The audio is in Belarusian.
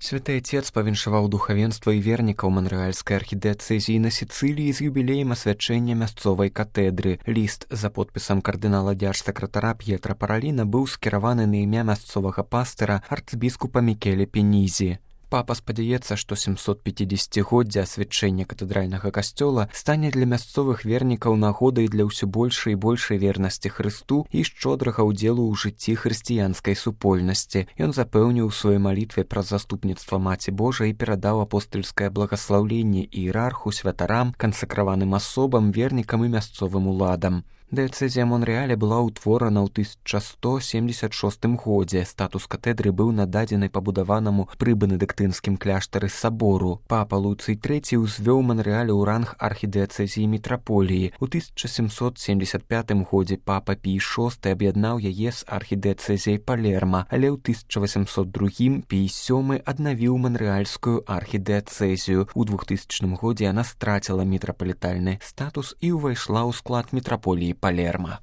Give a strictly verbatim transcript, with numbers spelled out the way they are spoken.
Святы Отец павіншаваў духавенства і вернікаў манрэальскай архідыяцэзіі на Сіцыліі з юбілеем асвячэння мясцовай катедры. Ліст за подпісам кардынала дзярж-сакратара П'етра Параліна быў скіраваны на імя мясцовага пастыра арцбіскупа Мікеле Пенізі. Папа спадзяецца, што сямсотпяцідзесяцігоддзе асвячэння катэдральнага касцёла стане для мясцовых вернікаў нагодай для ўсё большай і большай вернасці Хрысту і шчодрага ўдзелу ў жыцці хрысціянскай супольнасці. Ён запэўніў у сваёй малітве праз заступніцтва Маці Божай і перадаў апостальскае благаслаўленне іерарху, святарам, кансакраваным асобам, вернікам і мясцовым уладам. Дыяцэзія Монрэаля была ўтворана ў тысяча сто семдзесят шостым годзе. Статус катедры быў нададзены пабудаванаму пры бенедыктынскім кляштары сабору. Папа Луцый трэці ўзвёў Монрэаль у ранг архідыяцэзіі мітраполіі. У тысяча сямсот семдзесят пятым годзе папа Пій шосты аб'яднаў яе з архідыяцэзіяй Палерма, але ў тысяча васямсот другім Пій сёмы аднавіў манрэальскую архідыяцэзію. У двухтысячным годзе яна страціла мітрапалітальны статус і ўвайшла ў склад мітраполіі Палерма.